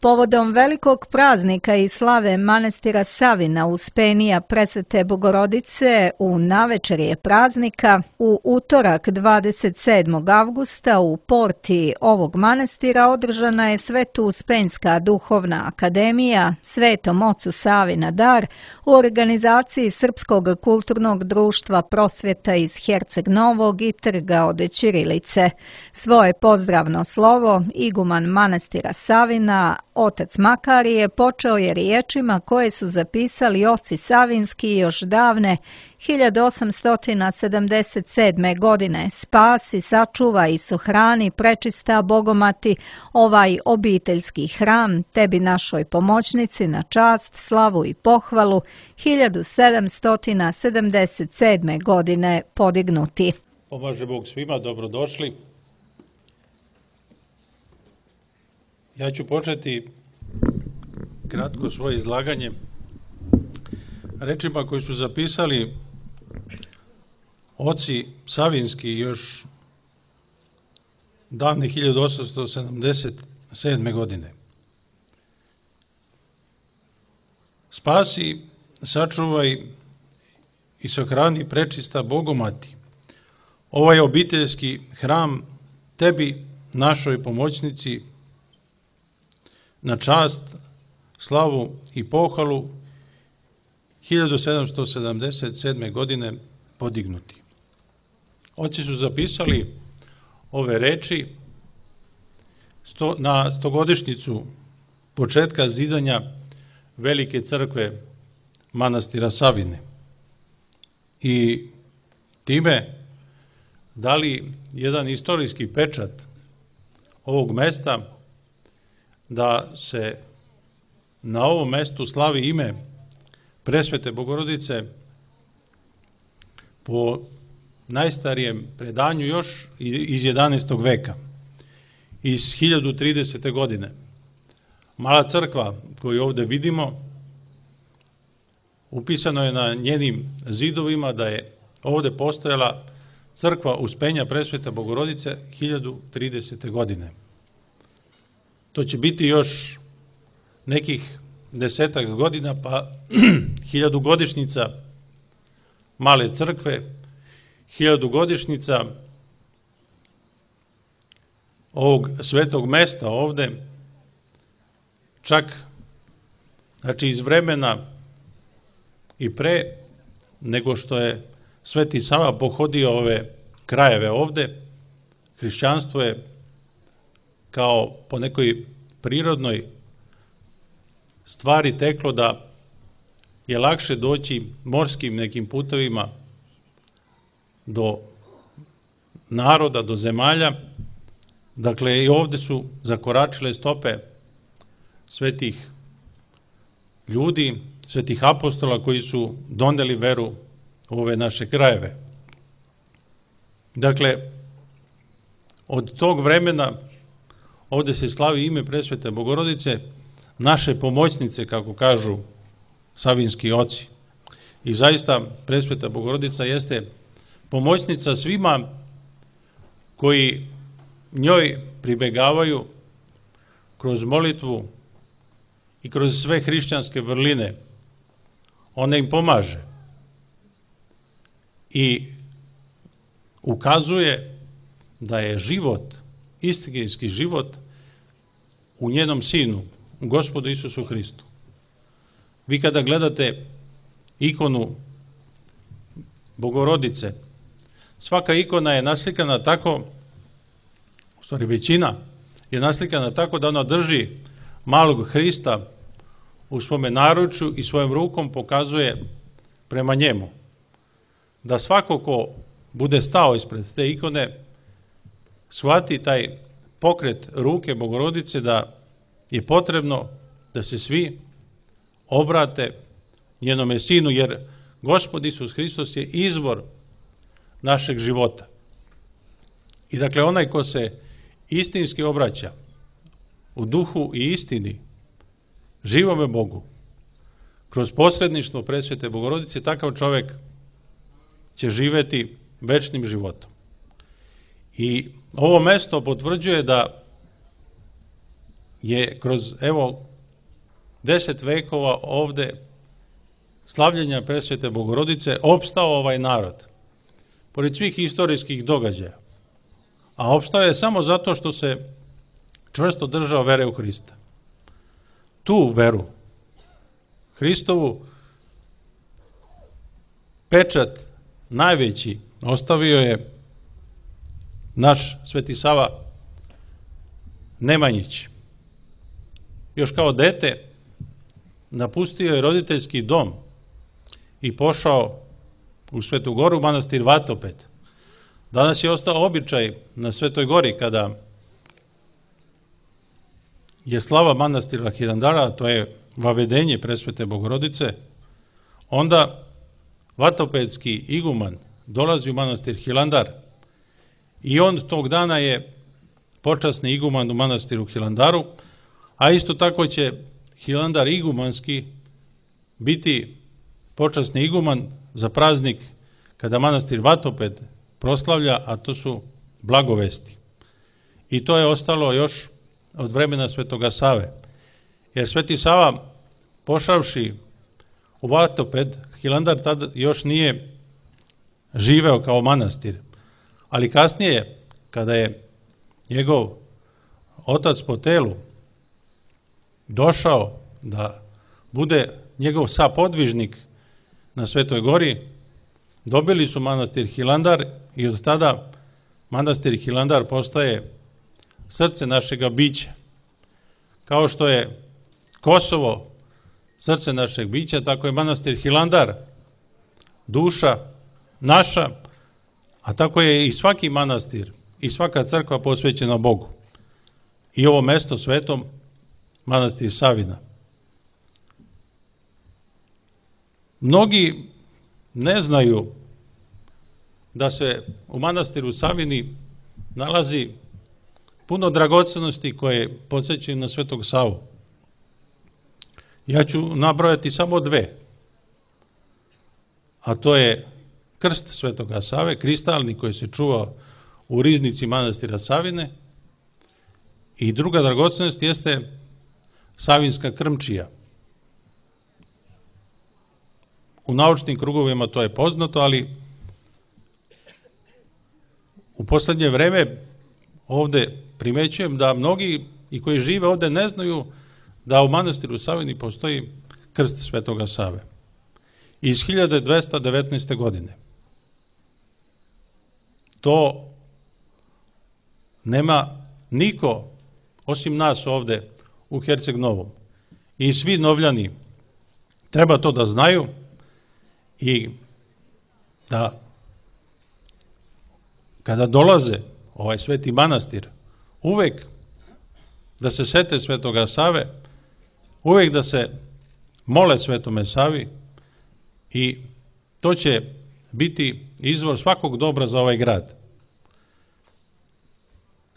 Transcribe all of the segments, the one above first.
Povodom velikog praznika i slave manastira Savina Uspenija Presvete Bogorodice u navečerje praznika, u utorak 27. avgusta u porti ovog manastira održana je Sveto-Uspenjska duhovna akademija Svetom ocu Savi na dar u organizaciji Srpskog kulturnog društva Prosvjeta iz Herceg Novog i Trga od Ćirilice. Svoje pozdravno slovo iguman manastira Savina, otac Makarije, počeo je riječima koje su zapisali oci Savinski još davne 1877. godine. Spasi, sačuvaj i sohrani, prečista Bogomati, ovaj obiteljski hram, tebi našoj pomoćnici na čast, slavu i pohvalu, 1777. godine podignuti. Pomaže Bog svima, dobrodošli. Ja ću početi kratko svoje izlaganje rečima koji su zapisali oci Savinski još davne 1877. godine. Spasi, sačuvaj i sahrani prečista Bogomati, ovaj obiteljski hram, tebi, našoj pomoćnici, na čast, slavu i pohvalu, 1777. godine podignuti. Oci su zapisali ove reči na stogodišnjicu početka zidanja velike crkve manastira Savine i time dali jedan istorijski pečat ovog mesta da se na ovom mestu slavi ime Presvete Bogorodice po najstarijem predanju još iz 11. veka, iz 1030. godine. Mala crkva koju ovde vidimo, upisano je na njenim zidovima da je ovde postojala crkva Uspenja Presvete Bogorodice 1030. godine. To će biti još nekih 10 godina, pa 1000 godišnjica male crkve, 1000 godišnjica ovog svetog mesta ovde, čak znači iz vremena i pre nego što je Sveti Sava pohodio ove krajeve ovde, hrišćanstvo je kao po nekoj prirodnoj stvari teklo da je lakše doći morskim nekim putovima do naroda, do zemalja. Dakle, i ovde su zakoračile stope svetih ljudi, svetih apostola koji su doneli veru u ove naše krajeve. Dakle, od tog vremena ovde se slavi ime Presvete Bogorodice, naše pomoćnice, kako kažu savinski oci. I zaista Presveta Bogorodica jeste pomoćnica svima koji njoj pribegavaju kroz molitvu i kroz sve hrišćanske vrline. Ona im pomaže i ukazuje da je život, istinski život, u njenom Sinu, u Gospodu Isusu Hristu. Vi kada gledate ikonu Bogorodice, svaka ikona je naslikana tako, u stvari većina je naslikana tako da ona drži malog Hrista u svome naručju i svojom rukom pokazuje prema njemu. Da svako ko bude stao ispred te ikone shvati taj pokret ruke Bogorodice da je potrebno da se svi obrate njenome Sinu, jer Gospod Isus Hristos je izvor našeg života. I dakle, onaj ko se istinski obraća u duhu i istini živome Bogu, kroz posredništvo Presvete Bogorodice, takav čovek će živeti večnim životom. I ovo mesto potvrđuje da je kroz, 10 vekova ovde slavljenja Presvete Bogorodice opstao ovaj narod. Pored svih istorijskih događaja. A opstao je samo zato što se čvrsto držao vere u Hrista. Tu veru, Hristovu, pečat najveći ostavio je naš Sveti Sava Nemanjić. Još kao dete napustio je roditeljski dom i pošao u Svetu Goru, manastir Vatoped. Danas je ostao običaj na Svetoj Gori, kada je slava manastira Hilandara, to je vavedenje Presvete Bogorodice, onda vatopedski iguman dolazi u manastir Hilandar i on tog dana je počasni iguman u manastiru Hilandaru, a isto tako će Hilandar igumanski biti počasni iguman za praznik kada manastir Vatoped proslavlja, a to su blagovesti. I to je ostalo još od vremena Svetoga Save. Jer Sveti Sava, pošavši u Vatoped, Hilandar tada još nije živeo kao manastir. Ali kasnije, kada je njegov otac po telu došao da bude njegov sapodvižnik na Svetoj Gori, dobili su manastir Hilandar i od tada manastir Hilandar postaje srce našega bića. Kao što je Kosovo srce našeg bića, tako je manastir Hilandar duša naša, a tako je i svaki manastir i svaka crkva posvećena Bogu. I ovo mesto svetom, manastir Savina. Mnogi ne znaju da se u manastiru Savini nalazi puno dragocenosti koje podsjećaju na Svetog Savu. Ja ću nabrojati samo dve, a to je krst Svetoga Save, kristalni koji se čuva u riznici manastira Savine, i druga dragocenost jeste Savinska krmčija. U naučnim krugovima to je poznato, ali u poslednje vreme ovde primećujem da mnogi i koji žive ovde ne znaju da u manastiru Savini postoji krst Svetoga Save. Iz 1219. godine. To nema niko osim nas ovde u Herceg Novom. I svi Novljani treba to da znaju i da kada dolaze ovaj sveti manastir, uvek da se sete Svetoga Save, uvek da se mole Svetome Savi, i to će biti izvor svakog dobra za ovaj grad.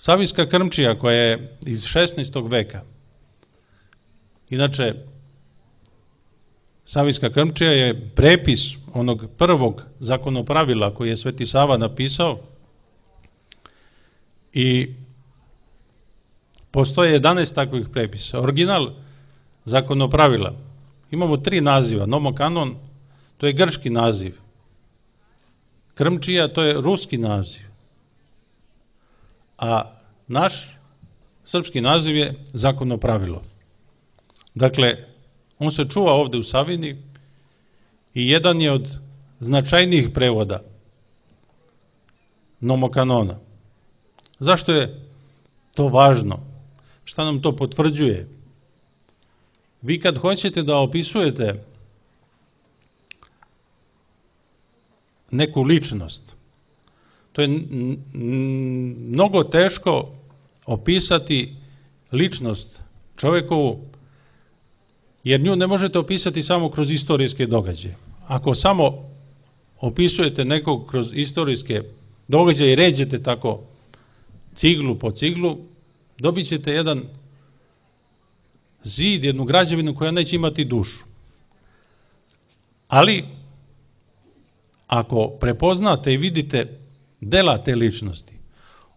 Savinska krmčija, koja je iz 16. veka, inače Savinska krmčija je prepis onog prvog zakonopravila koji je Sveti Sava napisao, i postoje 11 takvih prepisa. Original zakonopravila, imamo 3 naziva. Nomokanon, to je grčki naziv. Krmčija, to je ruski naziv. A naš srpski naziv je zakonopravilo. Dakle, on se čuva ovde u Savini i jedan je od značajnijih prevoda Nomokanona. Zašto je to važno? Šta nam to potvrđuje? Vi kad hoćete da opisujete neku ličnost, to je mnogo teško opisati ličnost čovekovu, jer nju ne možete opisati samo kroz istorijske događaje. Ako samo opisujete nekog kroz istorijske događaje i ređete tako ciglu po ciglu, dobit ćete jedan zid, jednu građevinu koja neće imati dušu. Ali, ako prepoznate i vidite dela te ličnosti,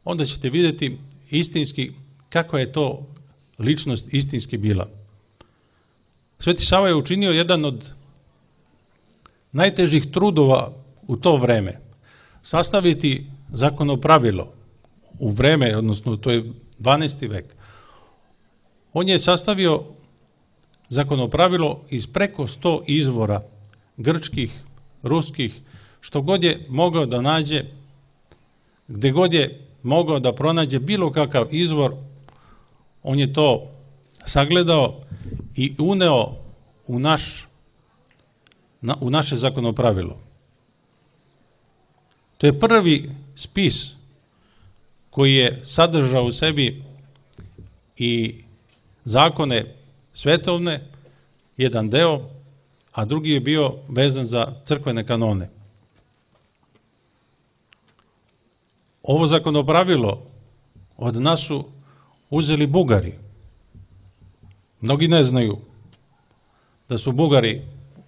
onda ćete vidjeti istinski kako je to ličnost istinski bila. Sveti Sava je učinio jedan od najtežih trudova u to vreme. Sastaviti zakonopravilo u vreme, odnosno to je 12. vek. On je sastavio zakonopravilo iz preko 100 izvora grčkih, ruskih, što god je mogao da nađe, gde god je mogao da pronađe bilo kakav izvor, on je to sagledao i uneo u naše zakonopravilo. To je prvi spis koji je sadržao u sebi i zakone svetovne, jedan deo, a drugi je bio vezan za crkvene kanone. Ovo zakonopravilo od nas su uzeli Bugari. Mnogi ne znaju da su Bugari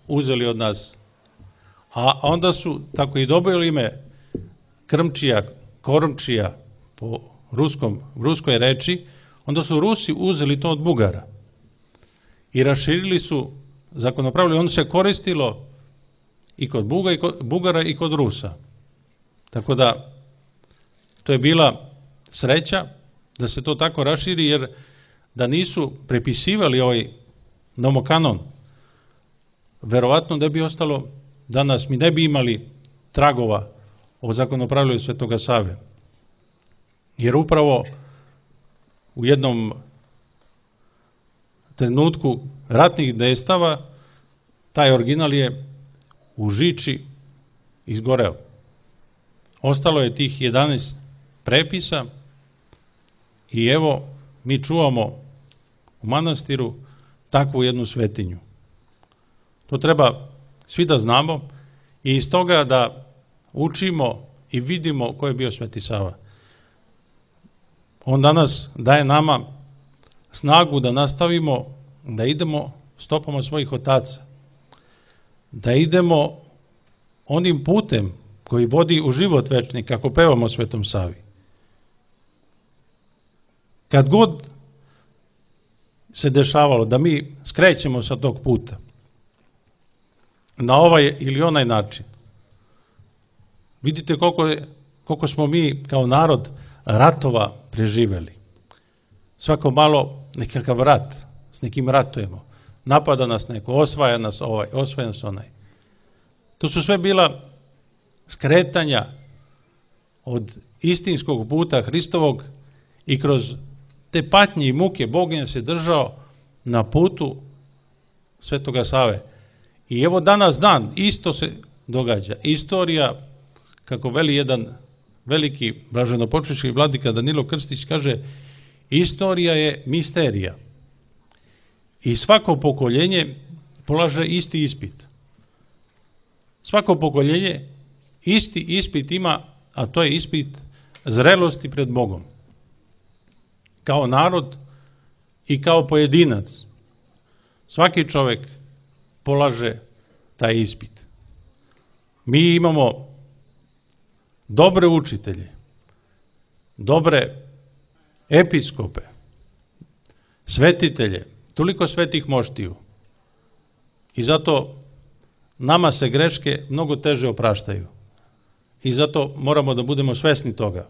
uzeli od nas, a onda su tako i dobili ime Krmčija, Kormčija po ruskoj reči, onda su Rusi uzeli to od Bugara i raširili su zakonopravilo. Ono se koristilo i kod Bugara i kod Rusa. Tako da to je bila sreća da se to tako raširi, jer da nisu prepisivali ovaj nomokanon, verovatno da bi ostalo danas, mi ne bi imali tragova o zakonopravilu Svetoga Save. Jer upravo u jednom trenutku ratnih dejstava taj original je u žiči izgoreo. Ostalo je tih 11 prepisa i evo mi čuvamo u manastiru takvu jednu svetinju. To treba svi da znamo i iz toga da učimo i vidimo ko je bio Sveti Sava. On danas daje nama snagu da nastavimo, da idemo stopama svojih otaca, da idemo onim putem koji vodi u život večni, kako pevamo Svetom Savi. Kad god se dešavalo da mi skrećemo sa tog puta, na ovaj ili onaj način, vidite koliko smo mi kao narod ratova preživeli. Svako malo nekakav rat, s nekim ratujemo. Napada nas neko, osvaja nas ovaj, osvaja nas onaj. To su sve bila skretanja od istinskog puta Hristovog i kroz te patnje i muke Bog nas je držao na putu Svetoga Save. I evo danas dan, isto se događa. Istorija, kako veli jedan veliki blaženopočivši vladika Danilo Krstić, kaže, istorija je misterija. I svako pokoljenje polaže isti ispit. Svako pokoljenje isti ispit ima, a to je ispit zrelosti pred Bogom. Kao narod i kao pojedinac. Svaki čovek polaže taj ispit. Mi imamo dobre učitelje, dobre episkope, svetitelje, toliko svetih moštiju. I zato nama se greške mnogo teže opraštaju. I zato moramo da budemo svesni toga.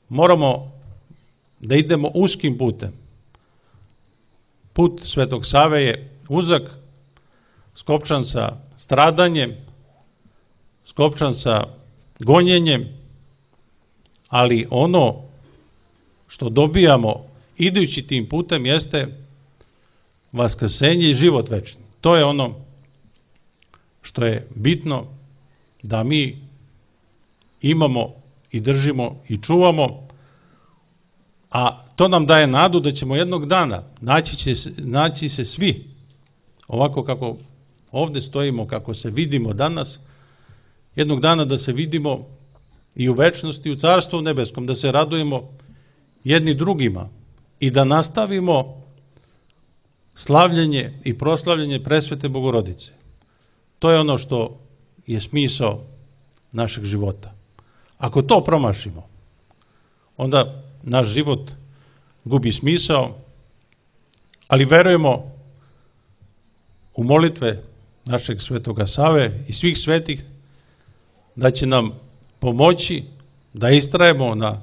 Moramo da idemo uskim putem. Put Svetog Save je uzak, skopčan sa stradanjem, skopčan sa gonjenjem, ali ono što dobijamo idući tim putem jeste vaskrsenje i život večni. To je ono što je bitno da mi imamo i držimo i čuvamo, a to nam daje nadu da ćemo jednog dana naći se svi ovako kako ovde stojimo, kako se vidimo danas, jednog dana da se vidimo i u večnosti, u Carstvu nebeskom, da se radujemo jedni drugima i da nastavimo slavljenje i proslavljenje presvete Bogorodice. To je ono što je smisao našeg života. Ako to promašimo, onda naš život gubi smisao ali verujemo u molitve našeg Svetoga Save i svih svetih da će nam pomoći da istrajemo na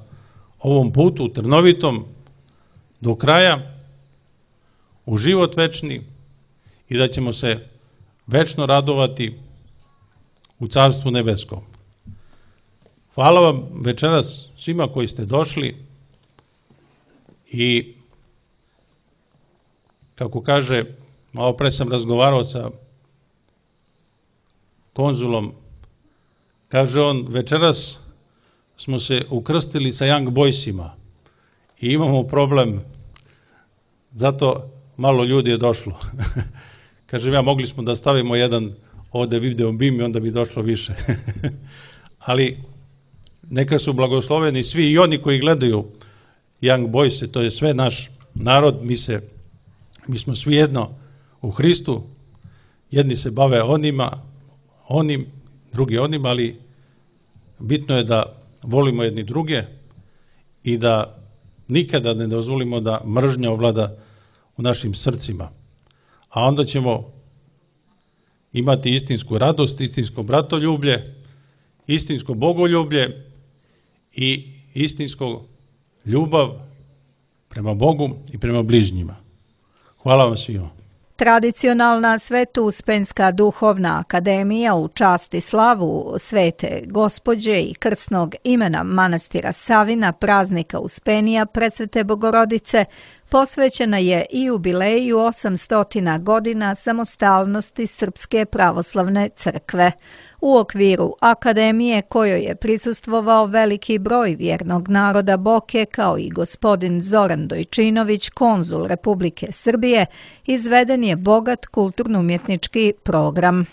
ovom putu trnovitom do kraja u život večni i da ćemo se večno radovati u Carstvu nebeskom. Hvala vam večeras svima koji ste došli i kako kaže, malo pre sam razgovarao sa konzulom, kaže on, večeras smo se ukrstili sa Young Boysima i imamo problem, zato malo ljudi je došlo. Kažem ja, mogli smo da stavimo jedan ovde video bim i onda bi došlo više. Ali neka su blagosloveni svi i oni koji gledaju Young Boyse, to je sve naš narod, mi smo svi jedno u Hristu, jedni se bave onim, drugi onim, ali bitno je da volimo jedni druge i da nikada ne dozvolimo da mržnja ovlada u našim srcima. A onda ćemo imati istinsku radost, istinsko bratoljublje, istinsko bogoljublje i istinsko ljubav prema Bogu i prema bližnjima. Hvala vam svima. Tradicionalna Sveto-Uspenska duhovna akademija u čast i slavu Svete Gospođe i krsnog imena manastira Savina, praznika Uspenija Presvete Bogorodice, posvećena je i jubileju 800 godina samostalnosti Srpske pravoslavne crkve. U okviru akademije kojoj je prisustvovao veliki broj vjernog naroda Boke kao i gospodin Zoran Dojčinović, konzul Republike Srbije, izveden je bogat kulturno-umjetnički program.